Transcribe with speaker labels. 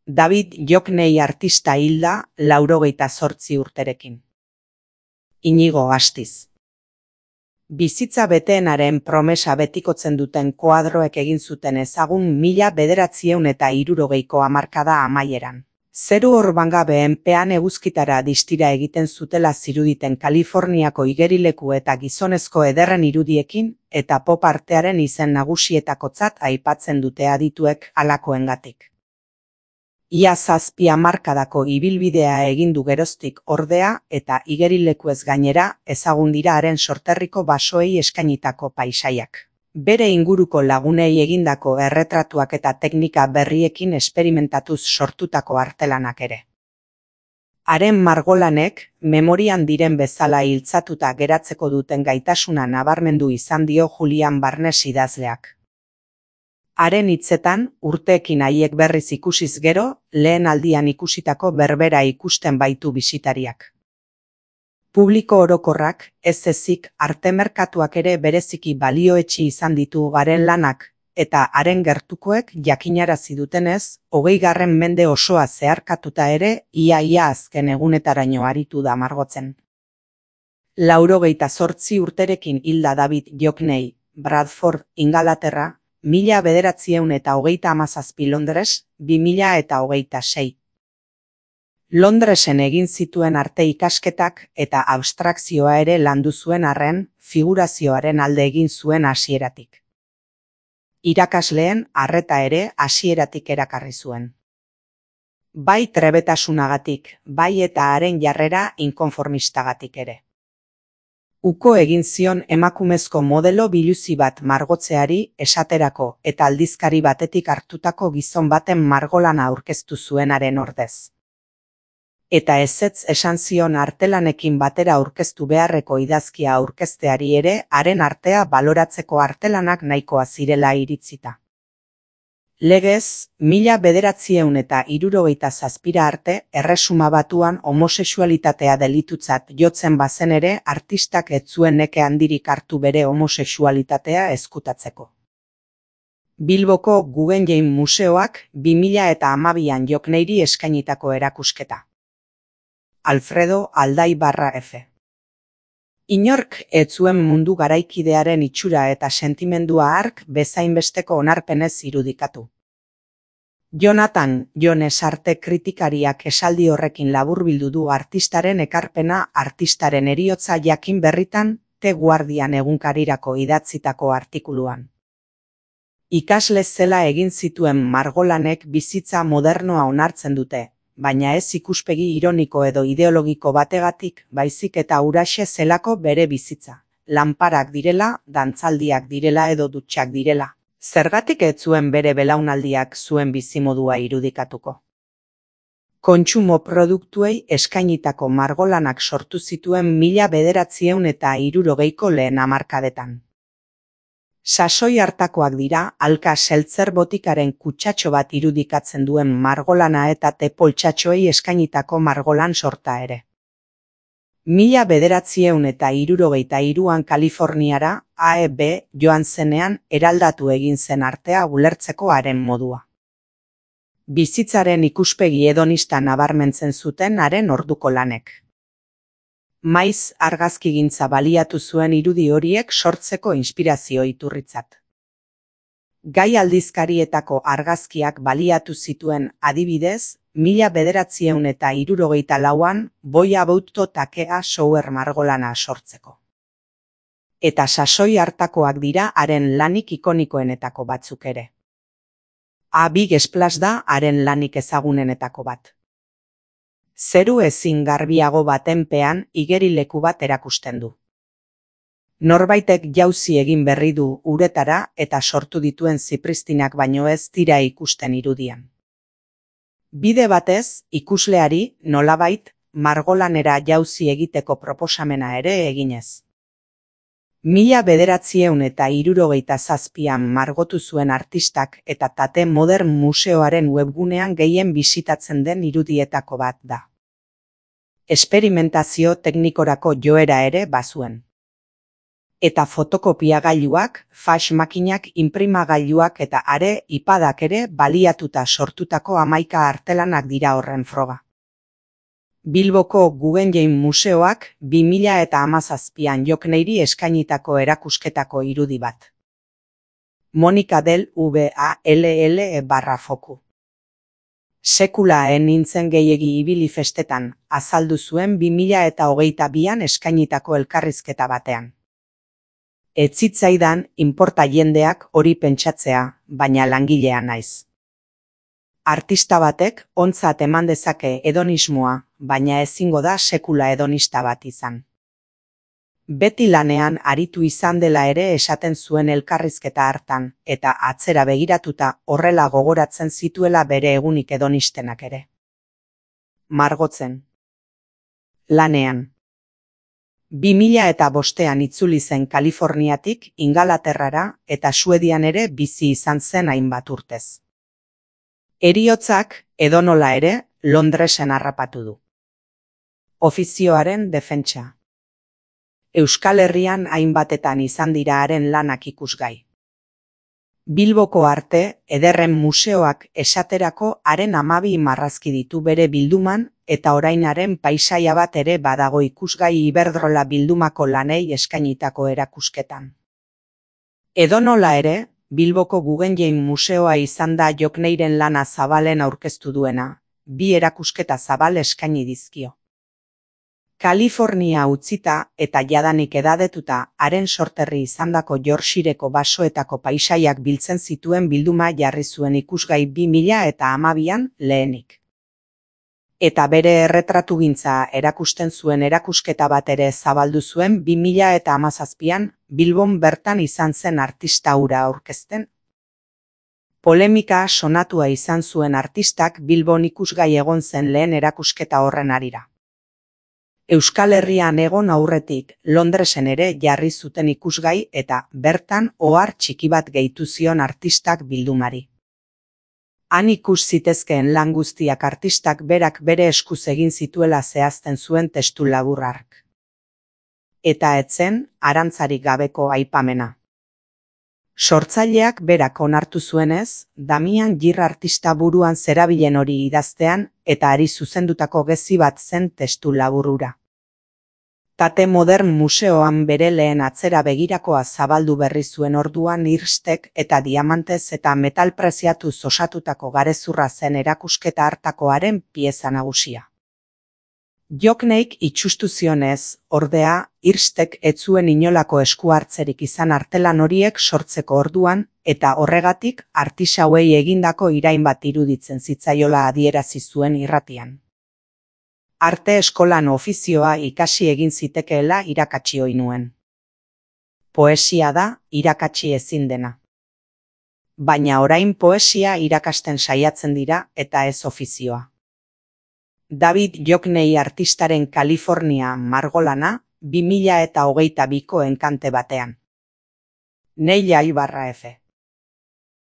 Speaker 1: David Jokney artista hilda 98 urterekin. Inigo Astiz. Bizitza beteenaren promesa betikotzen duten koadroek egin zuten ezagun 1960ko hamarkada amaieran. Zeru orbangabeen pean eguzkitara distira egiten zutela ziruditen Kaliforniako igerileku eta gizonezko ederren irudiekin eta pop artearen izen nagusietakotzat aipatzen dute adituek halakoengatik. Ia 7 hamarkadako ibilbidea egin du geroztik ordea eta igerilekuez gainera ezagun dira haren sorterriko basoei eskainitako paisaiak. Bere inguruko lagunei egindako erretratuak eta teknika berriekin esperimentatuz sortutako artelanak ere. Haren margolanek memorian diren bezala hiltzatuta geratzeko duten gaitasuna nabarmendu izan dio Julian Barnes idazleak. Haren hitzetan, urteekin haiek berriz ikusiz gero, lehen aldian ikusitako berbera ikusten baitu bisitariak. Publiko orokorrak, ez ezik, arte merkatuak ere bereziki balioetsi izan ditu haren lanak, eta haren gertukoek jakinarazi dutenez, 20. mende osoa zeharkatuta ere, ia azken egunetaraino aritu da margotzen. 98 urterekin hilda David Jokney, Bradford, Ingalaterra, 1937 Londres, 2026. Londresen egin zituen arte ikasketak eta abstrakzioa ere landu zuen arren, figurazioaren alde egin zuen hasieratik. Irakasleen arreta ere hasieratik erakarri zuen. Bai trebetasunagatik, bai eta haren jarrera inkonformistagatik ere. Uko egin zion emakumezko modelo biluzi bat margotzeari esaterako eta aldizkari batetik hartutako gizon baten margolana aurkeztu zuenaren ordez. Eta ezetz esan zion artelanekin batera aurkeztu beharreko idazkia aurkezteari ere haren artea baloratzeko artelanak nahikoa zirela iritzita. Legez, 1967 arte Erresuma Batuan homosexualitatea delitutzat jotzen bazen ere artistak ez zuen neke handirik hartu bere homosexualitatea ezkutatzeko. Bilboko Guggenheim Museoak 2012an Jokneyri eskainitako erakusketa. Alfredo Aldaibarra F. Inork ez zuen mundu garaikidearen itxura eta sentimendua hark bezainbesteko onarpenez irudikatu. Jonathan Jones arte kritikariak esaldi horrekin laburbildu du artistaren ekarpena artistaren heriotza jakin berritan The Guardian egunkarirako idatzitako artikuluan. Ikasle zela egin zituen margolanek bizitza modernoa onartzen dute, baina ez ikuspegi ironiko edo ideologiko bategatik, baizik eta huraxe zelako bere bizitza. Lanparak direla, dantzaldiak direla edo dutxak direla. Zergatik ez zuen bere belaunaldiak zuen bizimodua irudikatuko. Kontsumo produktuei eskainitako margolanak sortu zituen 1960ko lehen hamarkadetan. Sasoi hartakoak dira, alka seltzer botikaren kutsatxo bat irudikatzen duen margolana eta tepoltxatxoei eskainitako margolan sorta ere. 1963an Kaliforniara, AEB joan zenean eraldatu egin zen artea ulertzeko haren modua. Bizitzaren ikuspegi hedonista nabarmentzen zuten haren orduko lanek. Maiz argazkigintza baliatu zuen irudi horiek sortzeko inspirazio iturritzat. Gai aldizkarietako argazkiak baliatu zituen adibidez, 1964an Boy About Takea Shower margolana sortzeko. Eta sasoi hartakoak dira haren lanik ikonikoenetako batzuk ere. A Big Splash da haren lanik ezagunenetako bat. Zeru ezin garbiago baten pean igerileku bat erakusten du. Norbaitek jauzi egin berri du uretara eta sortu dituen zipristinak baino ez dira ikusten irudian. Bide batez, ikusleari, nolabait, margolanera jauzi egiteko proposamena ere eginez. 1967an margotu zuen artistak eta Tate Modern Museoaren webgunean gehien bisitatzen den irudietako bat da. Esperimentazio teknikorako joera ere bazuen. Eta fotokopiagailuak, fax makinak, inprimagailuak eta are iPadak ere baliatuta sortutako 11 artelanak dira horren froga. Bilboko Guggenheim Museoak 2017an Jokneiri eskainitako erakusketako irudi bat. Monika del VALL/foku. Sekula nintzen gehiegi ibili festetan, azaldu zuen 2022an eskainitako elkarrizketa batean. Ez zitzaidan inporta jendeak hori pentsatzea, baina langilea naiz. Artista batek ontzat eman dezake hedonismoa, baina ezingo da sekula hedonista bat izan. Beti lanean aritu izan dela ere esaten zuen elkarrizketa hartan, eta atzera begiratuta horrela gogoratzen zituela bere egunik hedonistenak ere. Margotzen. Lanean. 2005an itzuli zen Kaliforniatik Ingalaterrara eta Suedian ere bizi izan zen hainbat urtez. Heriotzak, edonola ere, Londresen harrapatu du. Ofizioaren defentsa. Euskal Herrian hainbatetan izan dira haren lanak ikusgai. Bilboko Arte Ederren Museoak esaterako haren 12 marrazki ditu bere bilduman, eta orainaren paisaia bat ere badago ikusgai Iberdrola bildumako lanei eskainitako erakusketan. Edonola ere, Bilboko Guggenheim Museoa izan da Jokneiren lana zabalen aurkeztu duena, 2 erakusketa zabal eskaini dizkio. Kalifornia utzita eta jadanik edadetuta haren sorterri izandako Yorkshireko basoetako paisaiak biltzen zituen bilduma jarri zuen ikusgai 2012an lehenik. Eta bere erretratugintza erakusten zuen erakusketa bat ere zabaldu zuen 2017an Bilbon bertan izan zen artista hura aurkezten. Polemika sonatua izan zuen artistak Bilbon ikusgai egon zen lehen erakusketa horren harira. Euskal Herrian egon aurretik Londresen ere jarri zuten ikusgai eta bertan ohar txiki bat gehitu zion artistak bildumari. Han ikus zitezkeen lan guztiak artistak berak bere eskuz egin zituela zehazten zuen testu labur hark. Eta etzen arantzarik gabeko aipamena. Sortzaileak berak onartu zuenez, Damian Gir artista buruan zerabilen hori idaztean eta hari zuzendutako gezi bat zen testu labur hura. Tate Modern Museoan bere lehen atzera begirakoa zabaldu berri zuen orduan irstek eta diamantez eta metal preziatuz osatutako garezurra zen erakusketa hartakoaren pieza nagusia. Jokneik itsustu zionez, ordea, irstek ez zuen inolako esku hartzerik izan artelan horiek sortzeko orduan, eta horregatik artisauei egindako irain bat iruditzen zitzaiola adierazi zuen irratian. Arte eskolan ofizioa ikasi egin zitekeela irakatsi ohi nuen. Poesia da irakatsi ezin dena. Baina orain poesia irakasten saiatzen dira eta ez ofizioa. David Joknei artistaren Kalifornia margolana 2022ko enkante batean. Neila Ibarra F.